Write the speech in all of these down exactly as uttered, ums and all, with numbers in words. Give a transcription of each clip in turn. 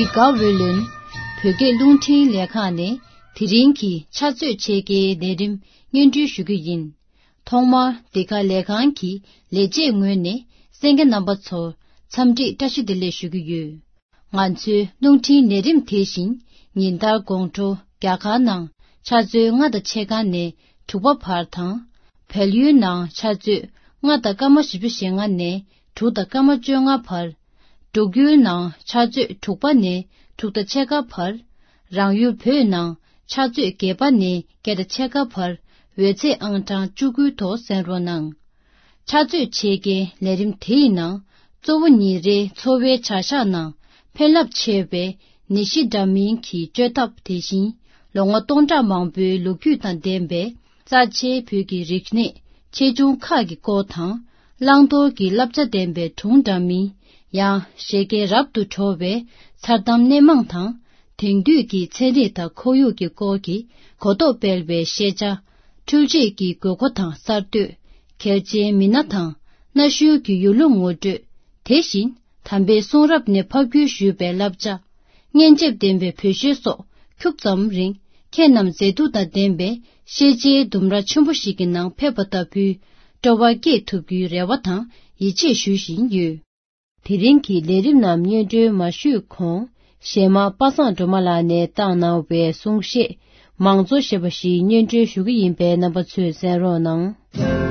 དགའ་འོས་ལོན། བོད་སྐད་རླུང་འཕྲིན་ལས་ཁང་ནས་དེ་རིང་གི་ཕྱག་ཚོད་ཕྱེད་ཀའི་ལས་རིམ་སྙན་སྒྲོན་ཞུ་རྒྱུ་ཡིན། ཐོག་མར་འདི་ག་ལས་ཁང་གི་ལས་བྱེད་ངོས་ནས་གསན་མཁན་རྣམ་པ་ཚོར་འཚམས་འདྲི་བཀྲ་ཤིས་བདེ་ལེགས་ཞུ་གི་ཡོད། ང་ཚོའི་རླུང་འཕྲིན་ལས་རིམ་དེ་བཞིན་ཉིན་ལྟར་དགོང་དྲོ་རྒྱ་གར་ནང་ཆུ་ཚོད་ལྔ་དང་ཕྱེད་ཀ་ནས་དྲུག་པ་བར་དང་། བལ་ཡུལ་ནང་ཆུ་ཚོད་ལྔ་དང་སྐར་མ་བཞི་བཅུ་ཞེ་ལྔ་ནས་དྲུག་དང་སྐར་མ་བཅོ་ལྔ་བར། འབྲུག་ཡུལ་ནང་ཆུ་ཚོད་དྲུག་པ་ནས་དྲུག་དང་ཕྱེད་ཀ་བར། རང་ཡུལ་བོད་ནང་ཆུ་ཚོད་བརྒྱད་པ་ནས་བརྒྱད་དང་ཕྱེད་ཀ་བར་འོད་ཚད་ཨང་གྲངས་བཅུ་དགུའི་ཐོག་གསན་རོགས་གནང་། ཕྱག་ཚོད་ཕྱེད་ཀའི་ལས་རིམ་དེའི་ནང་གཙོ་བོ་ཉིན་རེའི་འཚོ་བའི་བྱ་གཞག་ནང་ཕན་རླབས་ཆེ་བའི་ནད་གཞི་འདྲ་མིན་གྱི་བཅོས་ཐབས། དེ་བཞིན་ལོ་ངོ་སྟོང་ཕྲག་མང་པོའི་ལོ་རྒྱུས་དང་ལྡན་པའི་རྩ་ཆེའི་བོད་ཀྱི་རིག་གནས་ཆེ་ཆུང་ཁག་གི་སྐོར་དང་། བླང་དོར་གྱི་བསླབ་བྱ་ལྡན་པའི་སྒྲུང་འདྲ་མིན། ཡང་བཞད་གད་རབ་ཏུ་བྲོ་བའི་མཚར་གཏམ་སྣེ་མང་དང་། དེང་དུས་ཀྱི་ཚན་རིག་དང་ཁོར་ཡུག་གི་སྐོར་གྱི་གོ་རྟོགས་སྤེལ་བའི་ཤེས་བྱ། འཕྲུལ་ཆས་ཀྱི་དགོས་མཁོ་དང་གསར་གཏོད། གལ་ཆེའི་མི་སྣ་དང་གནའ་ཤུལ་གྱི་ཡུལ་ལུང་ངོ་སྤྲོད། དེ་བཞིན་དམ་པའི་གསུང་རབ་ནས་ཕབ་བསྒྱུར་ཞུས་པའི་བསླབ་བྱ། སྙན་འཇེབས་ལྡན་པའི་བོད་གཞས་སོགས་ཁྱུག་ཙམ་རིང་ཁྱེད་རྣམས་མཛེས་སྡུག་དང་ལྡན་པའི་ཤེས་བྱའི་ལྡུམ་ར་ཆེན་པོ་ཞིག་གི་ནང་ཕེབས་པ་ལྟ་བུའི་སྤྲོ་བ་སྐྱེས་ཐུབ་རྒྱུའི་རེ་བ་དང་ཡིད་ཆེས་ཞུ་བཞིན་ཡོད། དེ་རིང་གི་ལས་རིམ་རྣམས་སྙན་སྒྲོན་མ་ཞུས་གོང་། གཞས་མ་པ་སངས་སྒྲོལ་མ་ལགས་ནས་བཏང་གནང་བའི་གསུང་བཤད་མང་གཙོ་ཞེས་པ་ཞིག་སྙན་སྒྲོན་ཞུ་གི་ཡིན་པས་རྣམ་པ་ཚོས་གསན་རོགས་གནང་།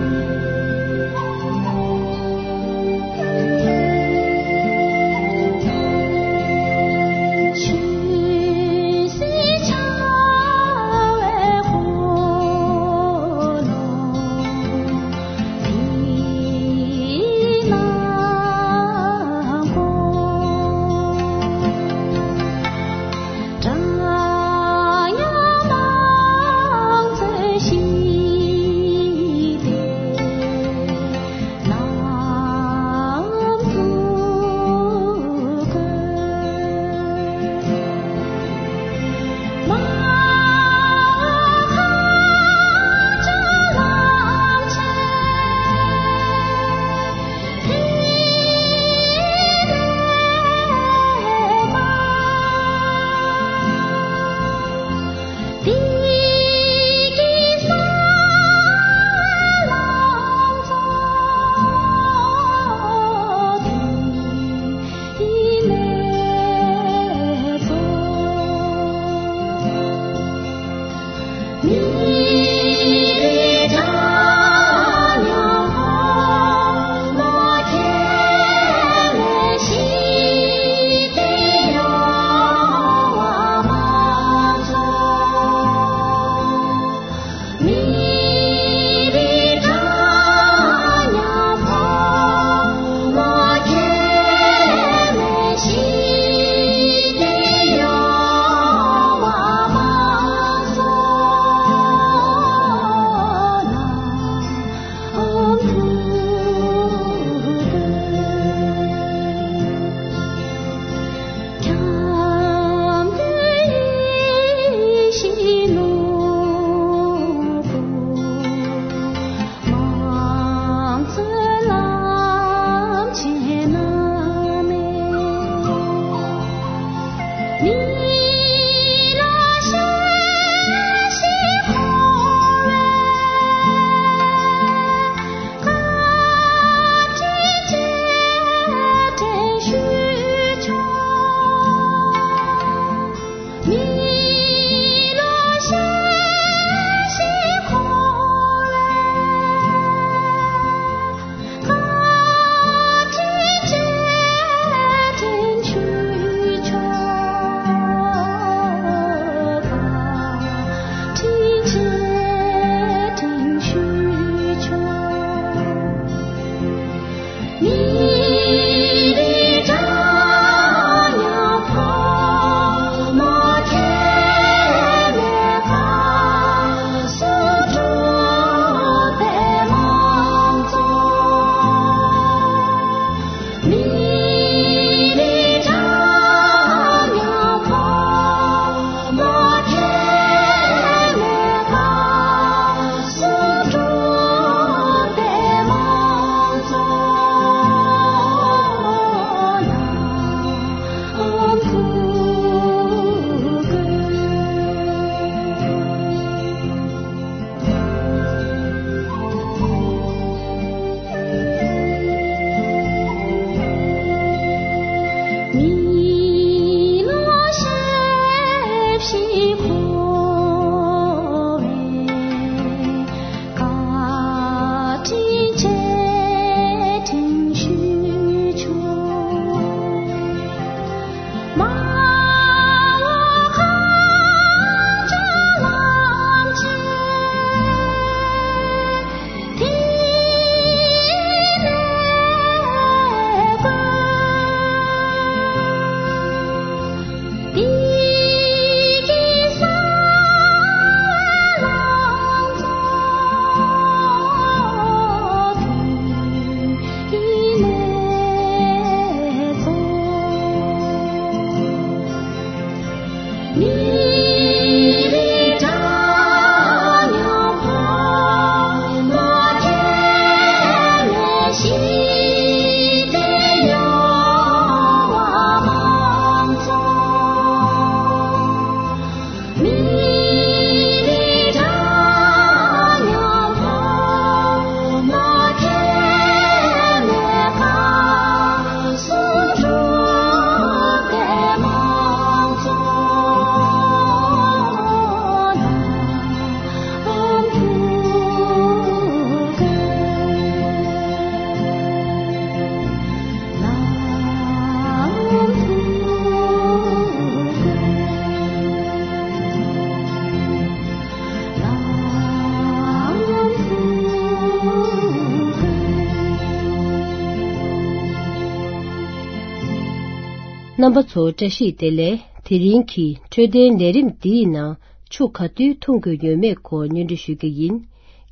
རྣམ་པ་ཚོ་བཀྲ་ཤིས་བདེ་ལེགས། དེ་རིང་གི་འཕྲོད་བསྟེན་ལས་རིམ་འདིའི་ནང་ཆུ་ག་དུས་འཐུང་དགོས་ཡོད་མེད་སྐོར་སྙན་སྒྲོན་ཞུ་རྒྱུ་ཡིན།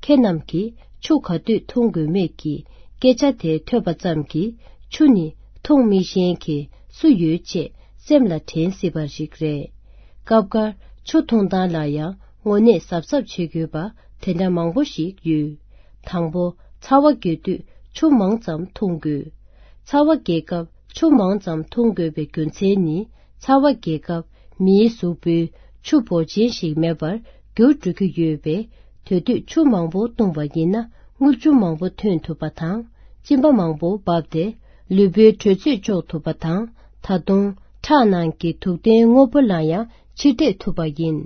ཁྱེད་རྣམས་ཀྱིས་ཆུ་ག་དུས་འཐུང་དགོས་མེད་ཀྱི་སྐད་ཆ་དེ་ཐོས་པ་ཙམ་གྱིས་ཆུ་ནི་འཐུང་མི་ཤེས་མཁན་སུ་ཡོད་ཅེས་སེམས་ལ་དྲན་སྲིད་པ་ཞིག་རེད། སྐབས་འགར་ཆུ་འཐུང་སྟངས་ལ་ཡང་དངོས་གནས་གཟབ་གཟབ་བྱེད་དགོས་པ་དེ་འདྲ་མང་པོ་ཞིག་ཡོད། དང་པོ། ཚ་བ་རྒྱས་དུས་ཆུ་མང་ཙམ་འཐུང་དགོས། ཚ་བ་རྒྱས་སྐབས་ཆུ་མང་ཙམ་འཐུང་དགོས་པའི་རྒྱུ་མཚན་ནི། ཚ་བ་རྒྱས་སྐབས་མིའི་གཟུགས་པོའི་ཆུ་འབོར་ཆེན་ཞིག་མེད་པར་འགྱུར་འགྲོ་གི་ཡོད་པས། དེ་དུས་ཆུ་མང་པོ་བཏུང་བ་ཡིན་ན་རྔུལ་ཆུ་མང་པོ་ཐོན་ཐུབ་པ་དང་། གཅིན་པ་མང་པོ་འབབ་སྟེ་ལུས་པོའི་དྲོད་ཚད་གཅོག་ཐུབ་པ་དང་། ད་དུང་ཁྲག་ནང་གི་དུག་ལྡན་དངོས་པོ་ལ་ཡང་ཕྱིར་ཐེག་ཐུབ་པ་ཡིན།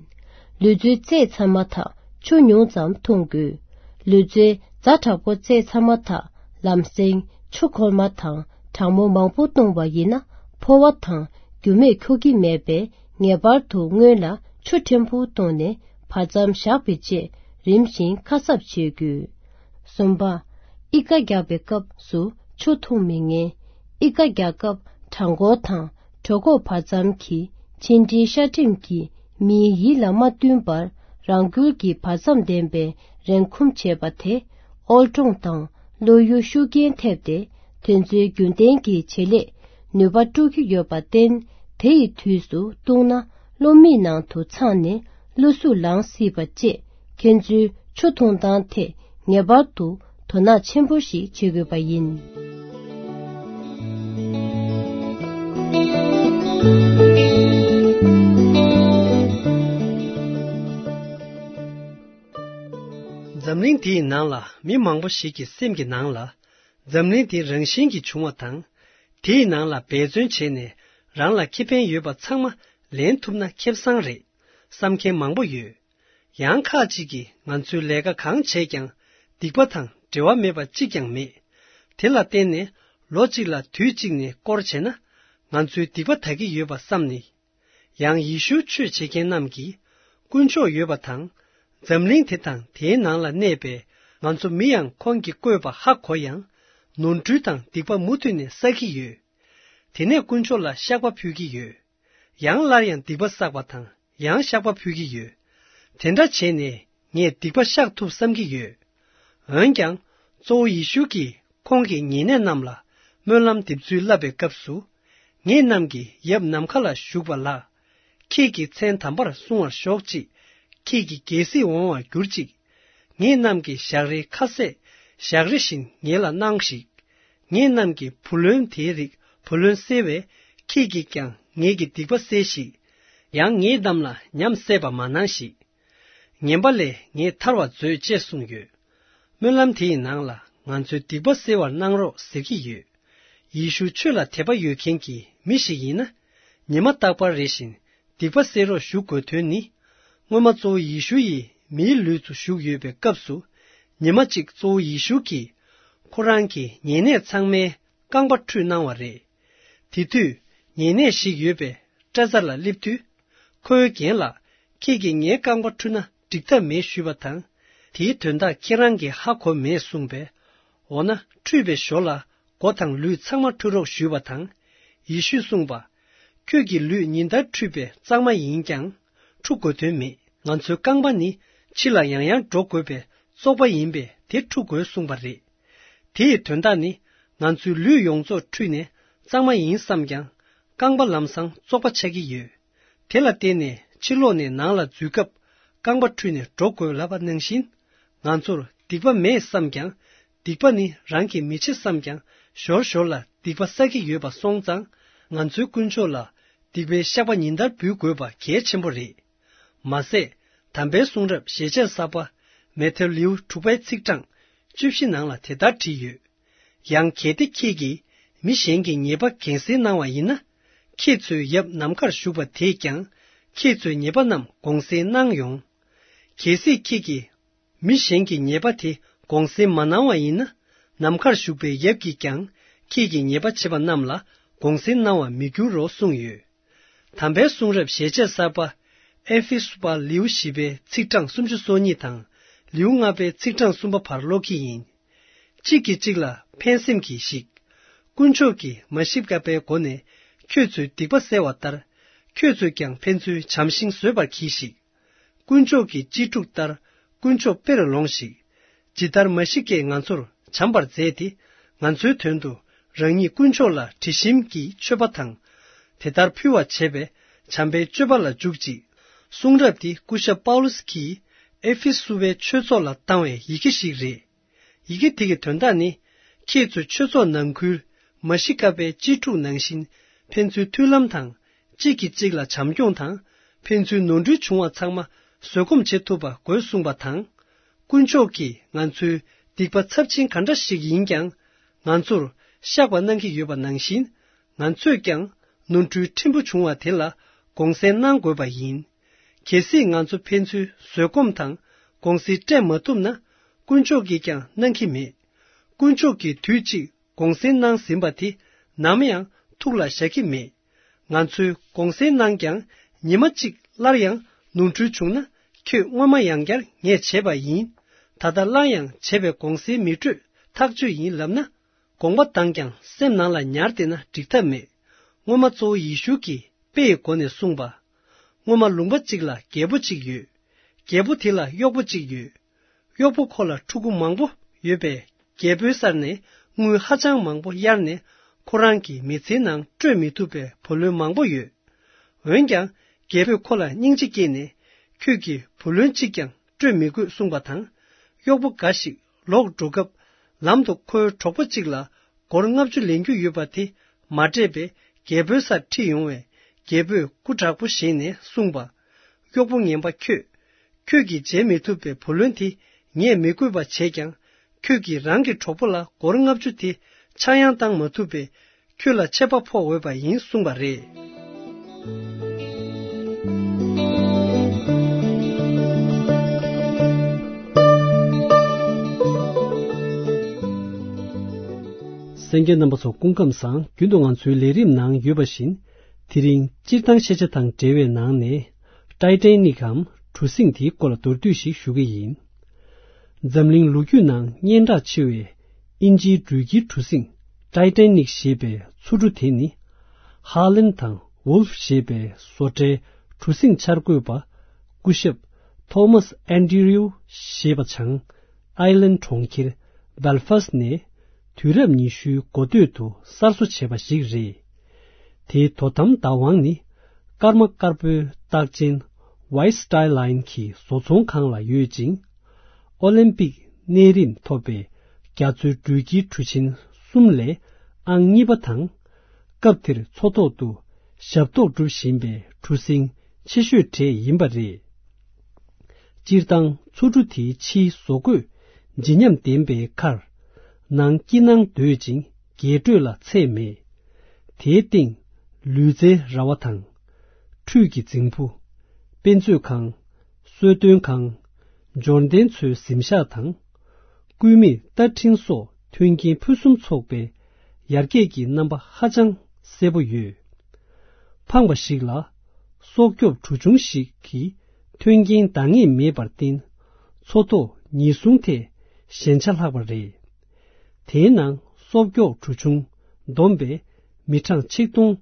ལུས་རྩལ་རྩེད་ཚར་མ་ཐག་ཆུ་ཉུང་ཙམ་འཐུང་དགོས། ལུས་རྩལ་ཛ་དྲག་པོ་རྩེད་ཚར་མ་ཐག་ལམ་སེང་ཆུ་ཁོལ་མ་དང་གྲང་མོ་མང་པོ་བཏུང་བ་ཡིན་ན་ཕོ་བ་དང་རྒྱུ་མས་ཁྱུག་གི་མེད་པས། ངེས་པར་དུ་སྔོན་ལ་ཆུ་ཕྲན་བུ་བཏུང་ནས་བར་མཚམས་བཞག་པའི་རྗེས་རིམ་བཞིན་ཁ་གསབ་བྱེད་དགོས། གསུམ་པ། ཨི་ཀ་རྒྱག་པའི་སྐབས་སུ་ཆུ་འཐུང་མི་ཉན། ཨི་ཀ་རྒྱག་སྐབས་བྲང་ཁོག་དང་གྲོད་ཁོག་བར་མཚམས་ཀྱི་མཆིན་དྲིའི་ཤ་སྒྲིམ་གྱིས་མིའི་ཡིད་ལ་མ་བསྟུན་པར་རང་འགུལ་གྱིས་བར་མཚམས་ལྡན་པའི་རེངས་འཁུམ་བྱེད་པ་དེ། ཨོལ་ཀྲོང་དང་གློ་ཡུ་ཤུགས་རྐྱེན་ཐེབས་ཏེ། དེ་ཚོའི་རྒྱུན་ལྡན་གྱི་བྱེད་ལས་ནུས་པ་དཀྲུག་གི་ཡོད་པར་བརྟེན། དེ་ཡི་དུས་སུ་བཏུང་ན་གློ་མིག་ནང་དུ་འཚང་ནས་གློ་ཟུག་ལངས་སྲིད་པ་བཅས། ཁྱེད་ཚོའི་ཆུ་འཐུང་སྟངས་ཐད་ངེས་པར་དུ་དོ་སྣང་ཆེན་པོ་ཞིག་བྱེད་དགོས་པ་ཡིན། འཛམ་གླིང་འདིའི་ནང་ལ་མི་མང་པོ་ཞིག་གི་སེམས་ཀྱི་ནང་ལ། འཛམ་གླིང་འདི་རང་བཞིན་གྱིས་བྱུང་བ་དང་། དེའི་ནང་ལ་འབད་བརྩོན་བྱས་ནས་རང་ལ་ཁེ་ཕན་ཡོད་པ་ཚང་མ་ལེན་ཐུབ་ན་ཁེ་བཟང་རེད་བསམ་མཁན་མང་པོ་ཡོད། ཡང་ཁག་ཅིག་གིས་ང་ཚོའི་ལས་ཀ་གང་བྱས་ཀྱང་སྡིག་པ་དང་འབྲེལ་བ་མེད་པ་གཅིག་ཀྱང་མེད། དེ་ལ་བརྟེན་ནས་ལོ་གཅིག་ལ་དུས་གཅིག་ནས་སྐོར་བྱས་ན་ང་ཚོའི་སྡིག་པ་དག་གི་ཡོད་པ་བསམ་ནས། ཡང་ཡེ་ཤུའི་ཆོས་བྱེད་མཁན་རྣམས་ཀྱིས་དཀོན་མཆོག་ཡོད་པ་དང་། འཛམ་གླིང་དེ་དང་དེའི་ནང་ལ་གནས་པའི་ང་ཚོ་མི་ཡང་ཁོང་གིས་བཀོད་པ་ཧ་གོ་ཡང་། ནོར་འཁྲུལ་དང་སྡིག་པ་མུ་མཐུད་ནས་བསགས་ཀྱི་ཡོད། དེ་ནས་དཀོན་མཆོག་ལ་བཤགས་པ་ཕུལ་གྱི་ཡོད། ཡང་སླར་ཡང་སྡིག་པ་བསགས་པ་དང་ཡང་བཤགས་པ་ཕུལ་གྱི་ཡོད། དེ་འདྲ་བྱས་ནས་ངས་སྡིག་པ་བཤགས་ཐུབ་བསམ་གྱི་ཡོད། འོན་ཀྱང་། གཙོ་བོ་ཡེ་ཤུ་གིས་ཁོང་གི་ཉེ་གནས་རྣམས་ལ་སྨོན་ལམ་འདེབས་ཚུལ་བསླབ་པའི་སྐབས་སུ། ངེད་རྣམས་ཀྱི་ཡབ་ནམ་མཁའ་ལ་བཞུགས་པ་ལགས། ཁྱེད་ཀྱི་མཚན་དམ་པར་སྲུང་བར་ཤོག་ཅིག། ཁྱེད་ཀྱི་རྒྱལ་སྲིད་འོང་བར་གྱུར་ཅིག། ངེད་རྣམས་ཀྱི་ཞག་རེའི་ཁ་ཟས་ཞག་རེ་བཞིན་ངེད་ལ་གནང་ཞིག། ངེད་རྣམས་ཀྱི་བུ་ལོན་དེའི་རིགས་བུ་ལོན་སེལ་བས། ཁྱེད་ཀྱིས་ཀྱང་ངེད་ཀྱི་སྡིག་པ་སེལ་ཞིག། ཡང་ངེད་རྣམས་ལ་ཉམས་སད་པ་མ་གནང་ཞིག། ངན་པ་ལས་ངེད་ཐར་བར་མཛོད་ཅེས་གསུངས་ཡོད། སྨོན་ལམ་དེ་ཡི་ནང་ལ་ང་ཚོའི་སྡིག་པ་སེལ་བར་གནང་རོགས་ཟེར་གྱི་ཡོད། ཡེ་ཤུ་ཆོས་ལ་དད་པ་ཡོད་མཁན་གྱི་མི་ཞིག་ཡིན་ན། ཉི་མ་རྟག་པར་རེ་བཞིན་སྡིག་པ་སེལ་རོགས་ཞུ་དགོས་དོན་ནི། སྔོན་མ་གཙོ་བོ་ཡེ་ཤུ་ཡིས་མིའི་ལུས་སུ་ཞུགས་ཡོད་པའི་སྐབས་སུ། ཉི་མ་གཅིག་གཙོ་བོ་ཡེ་ཤུ་གིས་ཁོ་རང་གི་ཉེ་གནས་ཚང་མའི་རྐང་པ་འཁྲུད་གནང་བ་རེད། དེ་དུས་ཉེ་གནས་ཤིག་ཡོད་པའི་སྐྲ་བཙག་ལ་སླེབས་དུས། ཁོའི་རྒན་ལགས། ཁྱེད་ཀྱིས་ངའི་རྐང་པ་འཁྲུད་ན་འགྲིག་ཐབས་མེད་ཞུས་པ་དང་། དེའི་དོན་དག་ཁྱེད་རང་གིས་ཧ་གོ་མེད་གསུངས་པས། འོ་ན་འཁྲུད་པའི་ཞོར་ལ་མགོ་དང་ལུས་ཚང་མ་འཁྲུད་རོགས་ཞུས་པ་དང་། ཡེ་ཤུས་གསུངས་པ། ཁྱོད་ཀྱི་ལུས་ཉིན་ལྟར་འཁྲུད་པའི་གཙང་མ་ཡིན་ཀྱང་འཁྲུ་དགོས་དོན་མེད། ང་ཚོའི་རྐང་པ་ནི་ཕྱི་ལ་ཡང་ཡང་འགྲོ་དགོས་པའི་བཙོག་པ་ཡིན་པས་དེ་འཁྲུ་དགོས་གསུངས་པ་རེད། དེ་ཡི་དོན་དག་ནི། ང་ཚོའི་ལུས་ཡོངས་རྫོགས་འཁྲུད་ནས་གཙང་མ་ཡིན་བསམ་ཀྱང་། རྐང་པ་ལམ་སང་བཙོག་པ་ཆགས་ཀྱི་ཡོད། དེ་ལ་བརྟེན་ནས་ཕྱི་ལོགས་ནས་ནང་ལ་འཛུལ་སྐབས་རྐང་པ་འཁྲུད་ནས་འགྲོ་དགོས་ལབ་པ་ནང་བཞིན། ང་ཚོར་སྡིག་པ་མེད་བསམ་ཀྱང་། སྡིག་པ་ནི་རང་གིས་མི་བྱེད་བསམ་ཀྱང་། ཞོར་ཞོར་ལ་སྡིག་པ་བསགས་ཀྱི་ཡོད་པ་སོང་ཙང་། ང་ཚོའི་དཀོན་མཆོག་ལ་སྡིག་པའི་བཤགས་པ་ཉིན་ལྟར་འབུལ་དགོས་པ་གལ་ཆེན་པོ་རེད། མ་ཟད། དམ་པའི་གསུང་རབ་ཞལ་ཆད་གསར་པ། མེ་ཐེ་ལེའུ་དྲུག་པའི་ཚིག་གྲངས་བཅུ་བཞི་ནང་ལ་དེ་ལྟར་བྲིས་ཡོད། ཡང་གལ་ཏེ་ཁྱེད་ཀྱིས་མི་གཞན་གྱི་ཉེས་པ་གྱེན་སེལ་གནང་བ་ཡིན་ན། ཁྱེད་ཚོའི་ཡབ་ནམ་མཁར་བཞུགས་པ་དེས་ཀྱང་ཁྱེད་ཚོའི་ཉེས་པ་རྣམས་དགོངས་སེལ་གནང་ཡོང་། གལ་སྲིད་ཁྱེད་ཀྱིས་མི་གཞན་གྱི་ཉེས་པ་དེ་དགོངས་སེལ་མ་གནང་བ་ཡིན་ན། ནམ་མཁར་བཞུགས་པའི་ཡབ་ཀྱིས་ཀྱང་ཁྱེད་ཀྱི་ཉེས་པ་བྱས་པ་རྣམས་ལ་དགོངས་སེལ་གནང་བར་མི་འགྱུར་རོ་གསུངས་ཡོད། དམ་པའི་གསུང་རབ་ཞལ་ཆད་གསར་པ། ཨེ་ཕེ་སུ་པ་ལེའུ་བཞི་པའི་ཚིག་གྲངས་སུམ་ཅུ་སོ་གཉིས་དང་། ལེའུ་ལྔ་པའི་ཚིག་གྲངས་གསུམ་པ་བར་ཀློག་གི་ཡིན། གཅིག་གིས་གཅིག་ལ་ཕན་སེམས་ཀྱིས་ཤིག། དཀོན་མཆོག་གིས་མ་ཤི་ཀ་པའི་སྒོ་ནས་ ཁྱོད་ཚོའི་སྡིག་པ་བསལ་བ་ལྟར། ཁྱོད་ཚོས་ཀྱང་ཕན་ཚུན་བྱམས་ཤིང་བཟོད་པར་གྱིས་ཤིག། དཀོན་མཆོག་གི་གཅེས་ཕྲུག་ལྟར། དཀོན་མཆོག་དཔེར་ལོངས་ཤིག། ཇི་ལྟར་མ་ཤི་ཀས་ང་ཚོར་བྱམས་པར་མཛད་དེ། ང་ཚོའི་དོན་དུ་རང་ཉིད་དཀོན་མཆོག་ལ་དྲི་ཞིམ་གྱི་མཆོད་པ་དང་། དེ་ལྟར་ཕུལ་བར་བྱེད་པས་བྱམས་པའི་སྤྱོད་པ་ལ་འཇུག་ཅིག། གསུང་རབ་འདི་སྐུ་ཞབས་པའུ་ལུས་ཀྱིས་ཨེ་ཕེ་སུ་བའི་ཆོས་ཚོགས་ལ་བཏང་བའི་ཡི་གེ་ཞིག་རེད། ཡི་གེ་དེ་གི་དོན་དག་ནི། ཁྱེད་ཚོ་ཆོས་ཚོགས་ནང་ཁུལ་མ་ཤི་ཀ་པའི་གཅེས་ཕྲུག་ནང་བཞིན་ཕན་ཚུན་མཐུན་ལམ་དང་། གཅིག་གིས་གཅིག་ལ་བྱམས་སྐྱོང་དང་། ཕན་ཚུན་ནོར་འཁྲུལ་བྱུང་བ་ཚང་མ་བཟོད་སྒོམ་བྱེད་ཐུབ་པ་དགོས་གསུངས་པ་དང་། དཀོན་མཆོག་གིས་ང་ཚོའི་སྡིག་པ་ཚབས་ཆེན་ག་འདྲ་ཞིག་ཡིན་ཀྱང་། ང་ཚོར་བཤགས་པ་གནང་གི་ཡོད་པ་ནང་བཞིན། ང་ཚོས་ཀྱང་ནོར་འཁྲུལ་ཕྲན་བུ་བྱུང་བ་དེ་ལ་དགོངས་སེལ་གནང་དགོས་པ་ཡིན། གལ་སྲིད་ང་ཚོ་ཕན་ཚུན་བཟོད་སྒོམ་དང་དགོངས་སེལ་སྤྲད་མ་ཐུབ་ན། དཀོན་མཆོག་གིས་ཀྱང་གནང་གི་མེད། དཀོན་མཆོག་གིས་དུས་གཅིག་དགོངས་སེལ་གནང་ཟིན་པ་དེ་ནམ་ཡང་ཐུགས་ལ་བཞག་གི་མེད། ང་ཚོས་དགོངས་སེལ་གནང་ཀྱང་ཉི་མ་གཅིག་སླར་ཡང་ནོར་འཁྲུལ་བྱུང་ན། ཁྱོད་སྔོན་མ་ཡང་བསྐྱར་ངས་བྱས་པ་ཡིན། ད་ལྟ་སླར་ཡང་བྱས་པའི་དགོངས་སེལ་མི་སྤྲོད་ཐག་གཅོད་ཡིན་ལབ་ན། དགོངས་པ་དང་ཀྱང་སེམས་ནང་ལ་ཉར་བསྡད་ན་འགྲིག་ཐབས་མེད། སྔོན་མ་གཙོ་བོ་ཡེ་ཤུ་གིས་དཔེ་ཡི་སྒོ་ནས་གསུངས་པ། སྔོན་མ་ལུང་པ་གཅིག་ལ་རྒྱལ་པོ་གཅིག་ཡོད། རྒྱལ་པོ་དེ་ལ་གཡོག་པོ་གཅིག་ཡོད། གཡོག་པོ་ཁོ་ལ་ཕྲུ་གུ་མང་པོ་ཡོད་པས། རྒྱལ་པོའི་སར་ནས་དངུལ་ཧ་ཅང་མང་པོ་གཡར་ནས། ཁོ་རང་གི་མི་ཚེའི་ནང་སྤྲོད་མི་ཐུབ་པའི་བུ་ལོན་མང་པོ་ཡོད། འོན་ཀྱང་། རྒྱལ་པོས་ཁོ་ལ་སྙིང་རྗེ་སྐྱེས་ནས། ཁྱོད་ཀྱིས་བུ་ལོན་གཅིག་ཀྱང་སྤྲོད་མི་དགོས་གསུངས་པ་དང་། གཡོག་པོ་འགའ་ཞིག་ལོག་འགྲོ་སྐབས། ལམ་དུ་ཁོའི་གྲོགས་པོ་གཅིག་ལ་སྒོར་ལྔ་བཅུ་ལེན་རྒྱུ་ཡོད་པ་དེ་མ་སྤྲད་པས། རྒྱལ་པོའི་སར་ཁྲིད་ཡོང་བས། རྒྱལ་པོས་སྐུ་དྲག་པོ་བཞེངས་ནས་གསུངས་པ། གཡོག་པོ་ངན་པ་ཁྱོད། ཁྱོད་ཀྱིས་འཇལ་མི་ཐུབ་པའི་བུ་ལོན་དེ་ངས་མི་དགོས་པ་བྱས་ཀྱང་། ཁྱོད་ཀྱིས་རང་གི་གྲོགས་པོ་ལ་སྒོར་ལྔ་བཅུ་དེ་ཆག་ཡང་བཏང་མ་ཐུབ་པས། ཁྱོད་ལ་ཆད་པ་ཕོག་འོས་པ་ཡིན་གསུངས་པ་རེད། གསན་མཁན་རྣམ་པ་ཚོ་སྐུ་ཁམས་བཟང་། རྒྱུན་དུ་ང་ཚོའི་ལས་རིམ་ནང་ཡོད་པ་བཞིན། དེ་རིང་སྤྱིར་བཏང་ཤེས་བྱ་དང་འབྲེལ་བའི་ནང་ནས། ཊའི་ཊའི་ནིག་གམ་གྲུ་གཟིངས་དེའི་སྐོར་ལ་མདོར་བསྡུས་ཤིག་ཞུ་གི་ཡིན། འཛམ་གླིང་ལོ་རྒྱུས་ནང་སྙན་གྲགས་ཆེ་བའི་དབྱིན་ཇིའི་འགྲུལ་སྐྱེལ་གྲུ་གཟིངས་ཊའི་ཊའི་ནིག་ཞེས་པའི་མཚོ་གྲུ་དེ་ནི། ཧ་ལན་དང་ཝུལ་ཕ་ཞེས་པའི་བཟོ་གྲྭའི་གྲུ་གཟིངས་འཆར་འགོད་པ་སྐུ་ཞབས་ཐོ་མཱས་ཨན་ཌི་རིའུ་ཞེས་པ་བྱང་ཨའི་ལན་གྲོང་ཁྱེར་སྦེལ་ཧྥ་སི་ནས་དུས་རབས་ཉི་ཤུའི་འགོ་སྟོད་དུ་གསར་བཟོ་བྱས་པ་ཞིག་རེད། དེའི་དོ་དམ་བདག་དབང་ནི་སྐར་མ་དཀར་པོའི་རྟགས་ཅན་White Star Line གྱི་བཟོ་ཚོང་ཁང་ལ་ཡོད་ཅིང་། ཨོ་ལིམ་པིག་གནས་རིམ་ཐོབ་པའི་རྒྱ་མཚོའི་འགྲུལ་སྐྱེལ་གྲུ་ཆེན་གསུམ་ལས་ཨང་གཉིས་པ་དང་། སྐབས་དེར་མཚོ་ཐོག་ཏུ་ཞབས་ཏོག་སྒྲུབ་བཞིན་པའི་གྲུ་གཟིངས་ཆེ་ཤོས་གྲས་ཡིན་པ་རེད། སྤྱིར་བཏང་མཚོ་གྲུ་དེའི་ཕྱིའི་བཟོ་བཀོད་ལྗིད་ཉམས་ལྡན་པའི་ཁར། ནང་སྐྱིད་སྣང་དོད་ཅིང་རྒྱས་སྤྲོས་ལ་ཚད་མེད། དེའི་སྟེང་ལུས་རྩལ་ར་བ་དང་། ཁྲུས་ཀྱི་རྫིང་བུ། དཔེ་མཛོད་ཁང་། གསོལ་སྟོན་ཁང་། འབྱོར་ལྡན་ཚོའི་གཟིམ་ཤག་དང་། སྐུད་མེད་རྟ་འཕྲིན་སོགས་མཐུན་རྐྱེན་ཕུན་སུམ་ཚོགས་པའི་ཡར་རྒྱས་ཀྱི་རྣམ་པ་ཧ་ཅང་གསལ་པོ་ཡོད། ཕངས་པ་ཞིག་ལ། སྲོག་སྐྱོབ་གྲུ་ཆུང་ཞིག་གིས་མཐུན་རྐྱེན་འདང་ངེས་མེད་པར་བརྟེན། མཚོ་ཐོག་ཉེན་སྲུང་ཐད་ཞན་ཆ་ལྷག་པ་རེད། དེའི་ནང་སྲོག་སྐྱོབ་གྲུ་ཆུང་བསྡོམས་པས་མི་གྲངས་ཆིག་སྟོང་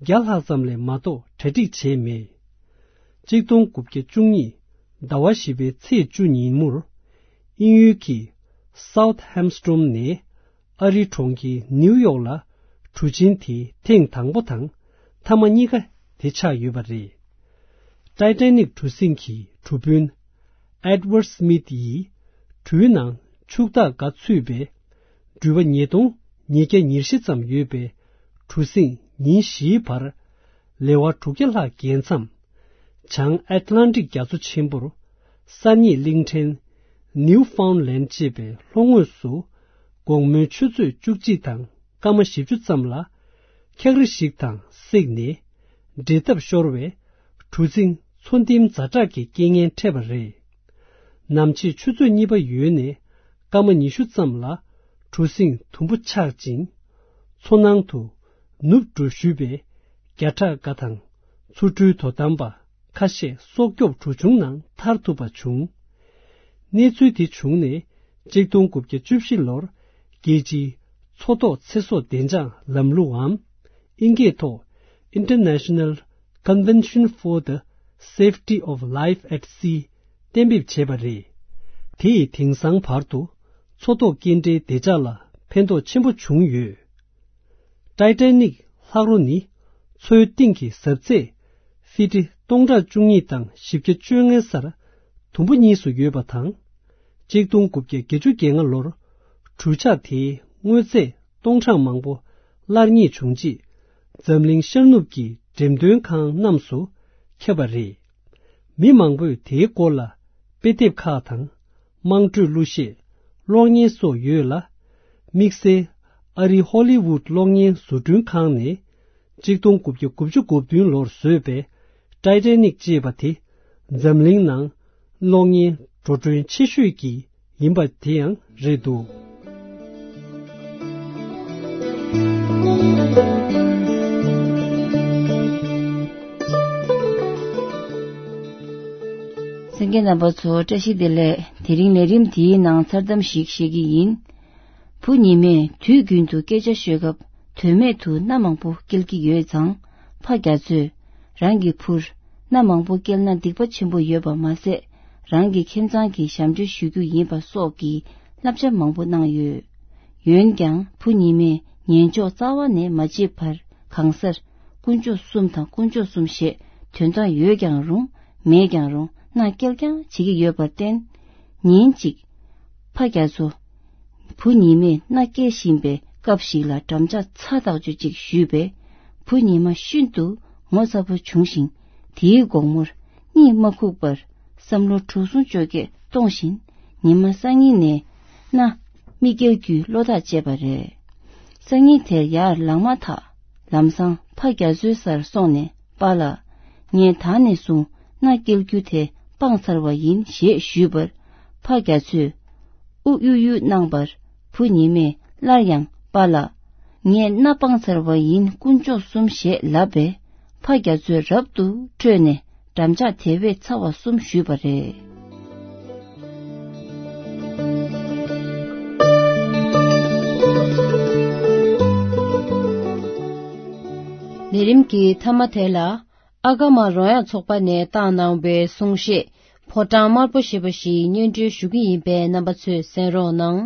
བརྒྱ་ལྷག་ཙམ་ལས་མ་གཏོགས་གྲ་སྒྲིག་བྱས་མེད། གཅིག་སྟོང་དགུ་བརྒྱ་བཅུ་གཉིས་ཟླ་བ་བཞི་པའི་ཚེས་བཅུ་ཉིན་མོར། དབྱིན་ཡུལ་གྱི་སའུ་ཐི་ཧེམ་སི་ཊོན་ནས་ཨ་རིའི་གྲོང་ཁྱེར་ནིའུ་ཡོག་ལ་གྲུ་ཆེན་དེ་ཐེངས་དང་པོ་དང་མཐའ་མ་གཉིས་ཀ་དེ་ཆགས་ཡོད་པ་རེད། ཊའི་ཊའི་ནིག་གྲུ་གཟིངས་ཀྱི་གྲུ་དཔོན་ཨེ་ཌི་ཝར་ཌི་སི་མི་ཐི་ཡིས་གྲུའི་ནང་ཕྱུག་བདག་འགའ་ཚུད་པའི་འགྲུལ་པ་ཉིས་སྟོང་ཉིས་བརྒྱ་ཉེར་བཞི་ཙམ་ཡོད་པའི་གྲུ་གཟིངས་ཉིན་བཞིའི་བར་ལེ་དབར་དྲུག་བརྒྱ་ལྷག་བརྒལ་མཚམས། བྱང་ཨེཊ་ལན་ཊིག་རྒྱ་མཚོ་ཆེན་པོར་གསར་རྙེད་གླིང་ཕྲན་ནིའུ་ཕའུན་ལེན་ཌ་ཅེས་པའི་ལྷོ་ངོས་སུ་དགོང་མོའི་ཆུ་ཚོད་བཅུ་གཅིག་དང་སྐར་མ་བཞི་བཅུ་ཙམ་ལ་འཁྱག་རི་ཞིག་དང་བསྲེགས་ནས་འབྲད་འཐབ་ཤོར་བས་གྲུ་གཟིངས་མཚོ་ལྡིང་ཛ་དྲག་གི་རྐྱེན་ངན་འཕྲད་པ་རེད། ནམ་ཕྱེད་ཆུ་ཚོད་གཉིས་པ་ཡོལ་ནས་སྐར་མ་ཉི་ཤུ་ཙམ་ལ་གྲུ་གཟིངས་དུམ་བུ་ཆག་ཅིང་མཚོ་ནང་དུ་ནུབ་འགྲོ་ཞུས་པས་བརྒྱ་ཕྲག་འགའ་དང་མཚོ་གྲུའི་དོ་དམ་པ་ཁ་ཤས་སྲོག་སྐྱོབ་གྲུ་ཆུང་ནང་ཐར་ཐུབ་པ་བྱུང་། གནས་ཚུལ་དེ་བྱུང་ནས་གཅིག་སྟོང་དགུ་བརྒྱ་བཅུ་བཞི་ལོར་རྒྱལ་སྤྱིའི་མཚོ་ཐོག་ཚེ་སྲོག་བདེ་འཇགས་ལམ་ལུགས་འམ་ཨིན་སྐད་ཐོག་ International Convention for the Safety of Life at Sea གཏན་འབེབས་བྱས་པ་རེད། དེ་ཡིས་དེང་སང་བར་དུ་མཚོ་ཐོག་སྐྱེལ་འདྲེན་བདེ་འཇགས་ལ་ཕན་ཐོགས་ཆེན་པོ་བྱུང་ཡོད། ཏའི་ཏའི་ནིག་ལྷག་རོ་ནི་མཚོའི་གཏིང་གི་ཟབ་ཚད་ཧྥི་ཊི་སྟོང་ཕྲག་བཅུ་གཉིས་དང་བཞི་བརྒྱ་བཅོ་ལྔའི་སར་དུམ་བུ་གཉིས་སུ་ཡོད་པ་དང་། གཅིག་སྟོང་དགུ་བརྒྱ་བརྒྱད་ཅུ་གྱ་ལྔ་ལོར་གྲུ་ཆག་དེའི་དངོས་རྫས་སྟོང་ཕྲག་མང་པོ་སླར་རྙེད་བྱུང་རྗེས། འཛམ་གླིང་ཤར་ནུབ་ཀྱི་འགྲེམས་སྟོན་ཁང་རྣམས་སུ་ཁྱབ་པ་རེད། མི་མང་པོས་དེའི་སྐོར་ལ་དཔེ་དེབ་ཁག་དང་། དམངས་ཁྲོད་གླུ་གཞས། གློག་བརྙན་སོགས་ཡོད་ལ། དམིགས་བསལ་ཨ་རིའི་ཧོ་ལི་ཝུད་གློག་བརྙན་བཟོ་སྐྲུན་ཁང་ནས་གཅིག་སྟོང་དགུ་བརྒྱ་དགུ་བཅུ་གོ་བདུན་ལོར་བཟོས་པའི་ཏའི་ཏའི་ནིག་ཅེས་པ་དེ་འཛམ་གླིང་ནང་གློག་བརྙན་འགྲོ་གྲོན་ཆེ་ཤོས་ཀྱི་ཡིན་པ་དེ་ཡང་རེད་འདུག། གསན་མཁན་རྣམ་པ་ཚོ་བཀྲ་ཤིས་བདེ་ལེགས། དེ་རིང་ལས་རིམ་འདིའི་ནང་མཚར་གཏམ་ཞིག་བཤད་ཀྱི་ཡིན། བུ་ཉི་མས་དུས་རྒྱུན་དུ་སྐད་ཆ་ཤོད་སྐབས་དོན་མེད་དུ་སྣ་མང་པོ་སྐྱེལ་གྱི་ཡོད་ཙང་། ཕ་རྒྱ་མཚོས་རང་གི་བུར་སྣ་མང་པོ་སྐྱེལ་ན་སྡིག་པ་ཆེན་པོ་ཡོད་པ་མ་ཟད། རང་གི་ཁྱིམ་ཚང་གི་ཞབས་འདྲེན་ཞུ་རྒྱུ་ཡིན་པ་སོགས་ཀྱི་བསླབ་བྱ་མང་པོ་གནང་ཡོད། འོན་ཀྱང་བུ་ཉི་མས་ཉན་འཇོག་རྩ་བ་ནས་མ་བྱས་པར་གང་སར་དཀོན་མཆོག་གསུམ་དང་དཀོན་མཆོག་གསུམ་ཞེས་དོན་དག་ཡོད་ཀྱང་རུང་མེད་ཀྱང་རུང་སྣ་སྐྱེལ་རྐྱང་བྱེད་ཀྱི་ཡོད་པར་བརྟེན། ཉིན་གཅིག་ཕ་རྒྱ་མཚོ་བུ་ཉི་མས་མནའ་སྐྱེལ་བཞིན་པའི་སྐབས་ཤིག་ལ་འགྲམ་ལྕག་ཚ་ཐག་ཆོད་ཅིག་གཞུས་པས། བུ་ཉི་མ་ཤིན་ཏུ་ངོ་ཚ་པོ་བྱུང་ཞིང་། དེའི་དགོང་མོར་གཉིད་མ་ཁུག་པར་བསམ་བློ་དྲུག་ཟུང་བཅོ་བརྒྱད་གཏོང་བཞིན། ཉི་མ་སང་ཉིན་ནས་མནའ་མི་སྐྱེལ་རྒྱུའི་བློ་ཐག་བཅད་པ་རེད། སང་ཉིན་དེར་ཡར་ལངས་མ་ཐག་ལམ་སང་ཕ་རྒྱ་མཚོའི་སར་སོང་ནས། པཱ་ལགས། ངས་ད་ནས་བཟུང་མནའ་སྐྱེལ་རྒྱུ་དེ་སྤངས་ཚར་བ་ཡིན་ཞེས་ཞུས་པར། ཕ་རྒྱ་མཚོས་ཨུ་གཡུག་གཡུག་གནང་བར། བུ་ཉི་མས་སླར་ཡང་པཱ་ལགས། ངས་མནའ་སྤངས་ཚར་བ་ཡིན་དཀོན་མཆོག་གསུམ་ཞེས་ལབ་པས། ཕ་རྒྱ་མཚོས་རབ་ཏུ་ཁྲོས་ནས་འགྲམ་ལྕག་དེ་བས་ཚ་བ་གསུམ་གཞུས་པ་རེད། ལས་རིམ་གྱི་མཐའ་མ་དེ་ལ། ཨ་ཀ་མ་རོལ་དབྱངས་ཚོགས་པ་ནས་བཏང་གནང་བའི་གསུང་བཤད། ཕོ་བྲང་དམར་པོ་ཞེས་པ་ཞིག་སྙན་སྒྲོན་ཞུ་གི་ཡིན་པས། རྣམ་པ་ཚོས་གསན་རོགས་གནང་།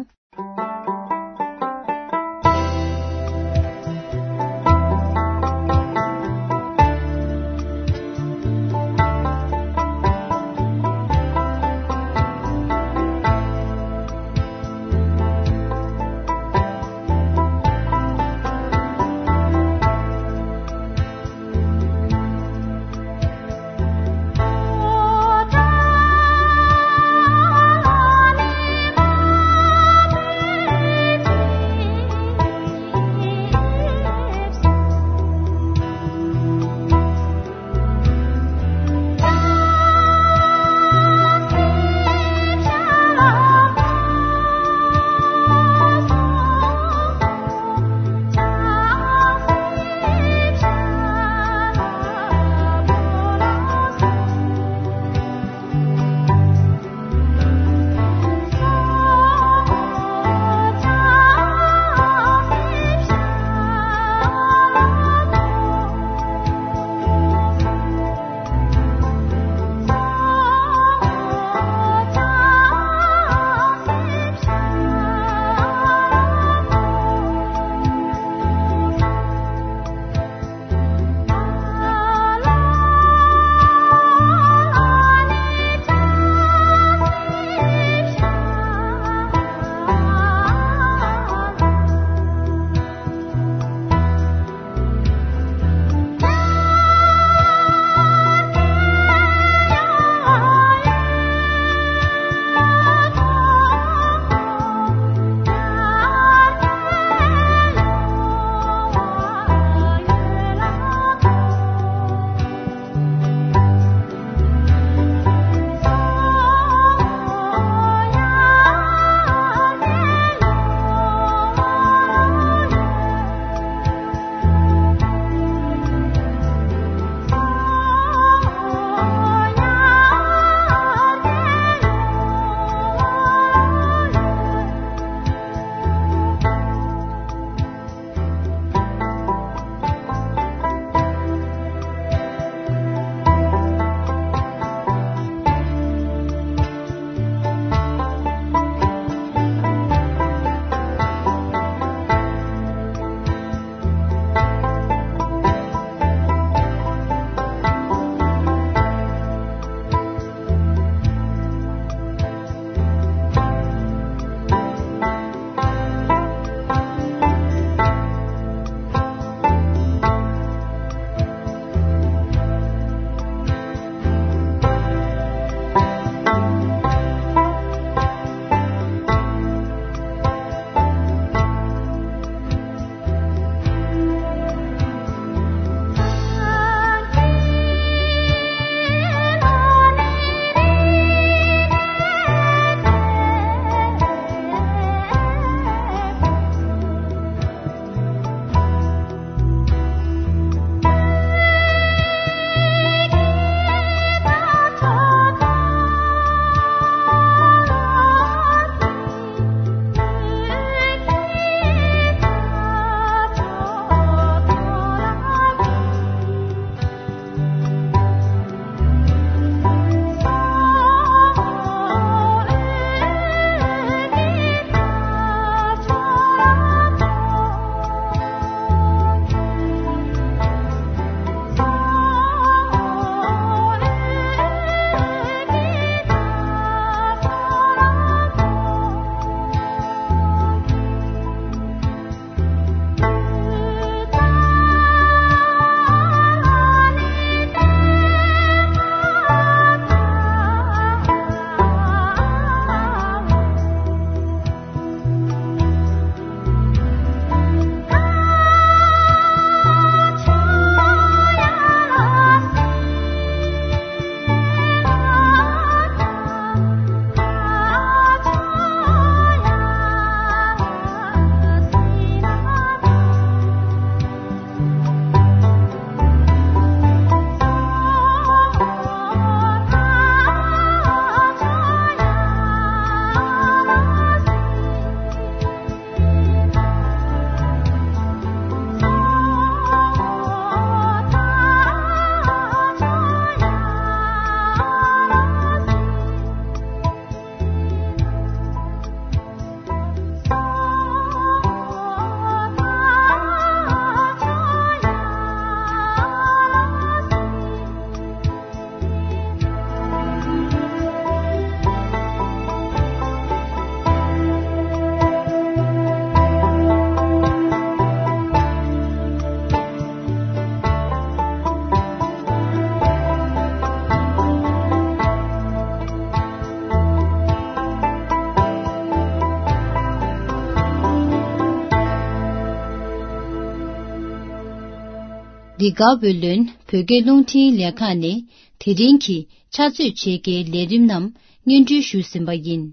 འདི་ག་བོད་ལོན་བོད་སྐད་རླུང་འཕྲིན་ལས་ཁང་ནས་དེ་རིང་གི་ཕྱག་ཚོད་ཕྱེད་ཀའི་ལས་རིམ་རྣམས་སྙན་སྒྲོན་ཞུས་ཟིན་པ་ཡིན།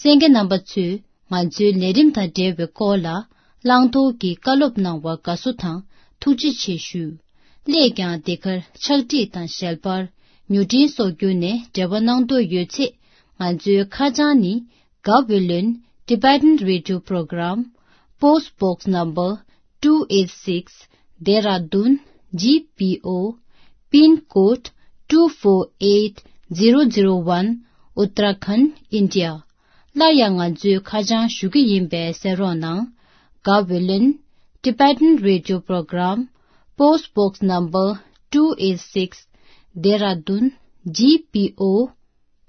གསན་མཁན་རྣམ་པ་ཚོས་ང་ཚོའི་ལས་རིམ་དང་འབྲེལ་བའི་སྐོར་ལ་བླང་དོར་གྱི་བཀའ་སློབ་གནང་བར་དགའ་བསུ་དང་ཐུགས་རྗེ་ཆེ་ཞུ། སླད་ཀྱང་འདི་གར་ཕྱག་བྲིས་དང་ཞལ་པར། མྱུར་འཕྲིན་སོགས་བརྒྱུད་ནས་འབྲེལ་བ་གནང་འདོད་ཡོད་ཚེ། ང་ཚོའི་ཁ་བྱང་ནི། Gaweylon Tibetan Radio Program, Post Box Number two eight six, Dehradun G P O, Pin Code two four eight zero zero one, Uttarakhand, India. སླར་ཡང་ང་ཚོའི་ཁ་བྱང་ཞུ་གི་ཡིན་པས་གསན་རོགས་གནང་། Gaweylon Tibetan Radio Program, Post Box Number two eight six, Dehradun G P O,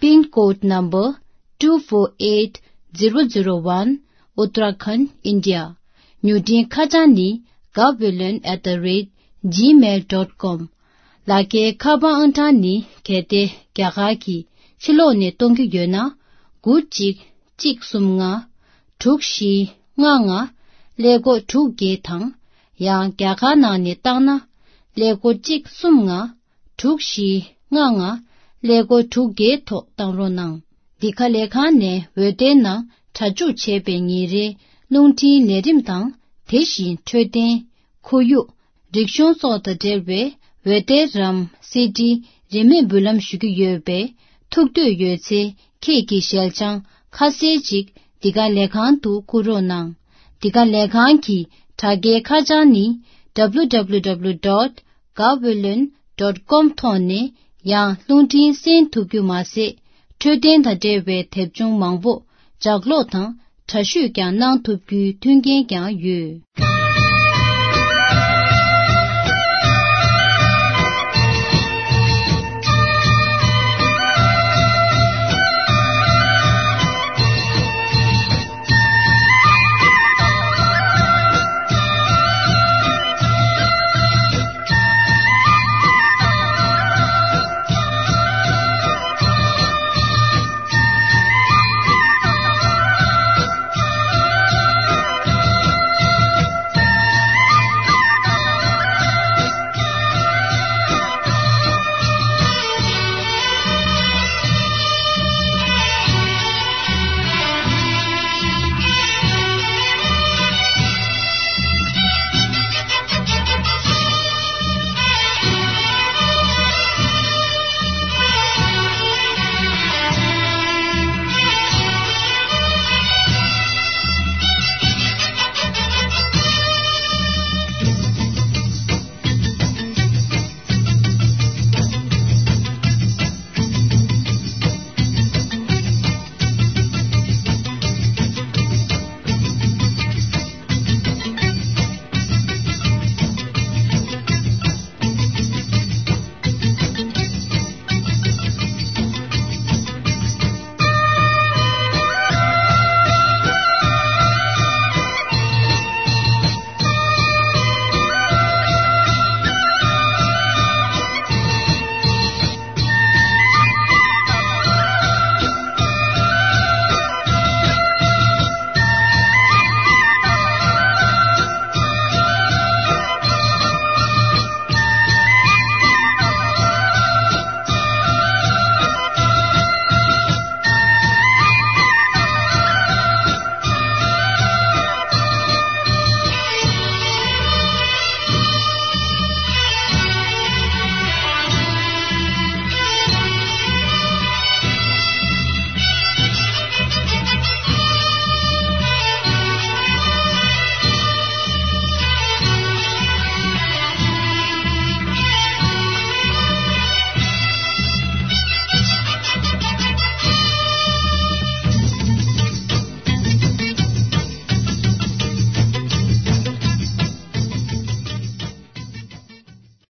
Pin Code Number two four eight zero zero one, Uttarakhand, India. མྱུར་འཕྲིན་ཁ་བྱང་ནི། Gaweylon at the rate gmail dot com. ལག་འཁྱེར་ཁ་པར་ཨང་གྲངས་ནི། གལ་ཏེ་རྒྱ་གར་གྱི་ཕྱི་ལོགས་ནས་གཏོང་རྒྱུ་ཡོད་ན། དགུ་གཅིག་གཅིག་གསུམ་ལྔ། དྲུག་བཞི་ལྔ་ལྔ། ཀླད་ཀོར་དྲུག་བརྒྱད་དང་། ཡང་རྒྱ་གར་ནང་ནས་བཏང་ན། ཀླད་ཀོར་གཅིག་གསུམ་ལྔ། དྲུག་བཞི་ལྔ་ལྔ། ཀླད་ཀོར་དྲུག་བརྒྱད་ཐོག་བཏང་རོགས་གནང་། འདི་ག་ལས་ཁང་ནས་འོད་སྡེར་ནང་སྒྲ་འཇུག་བྱས་པའི་ཉིན་རེའི་རླུང་འཕྲིན་ལས་རིམ་དང་། དེ་བཞིན་འཕྲོད་བསྟེན། ཁོར་ཡུག་རིག་གཞུང་སོགས་དང་འབྲེལ་བའི་འོད་སྡེར་རམ་སི་ཌི། རིན་མེད་འབུལ་ལམ་ཞུ་རྒྱུ་ཡོད་པས། ཐུགས་འདོད་ཡོད་ཚེ། ཁྱེད་ཀྱི་ཞལ་བྱང་ཁ་གསལ་ཅིག་འདི་ག་ལས་ཁང་དུ་བསྐུར་རོགས་གནང་། འདི་ག་ལས་ཁང་གི་དྲ་རྒྱའི་ཁ་བྱང་ནི། W W W dot gaweylon dot com ཐོག་ནས་ཡང་རླུང་འཕྲིན་གསན་ཐུབ་རྒྱུ་མ་ཟད། འཕྲོད་བསྟེན་དང་འབྲེལ་བའི་དེབ་ཆུང་མང་པོ་ལྗགས་ཀློག་དང་འདྲ་བཤུས་ཀྱང་གནང་ཐུབ་རྒྱུའི་མཐུན་རྐྱེན་ཀྱང་ཡོད།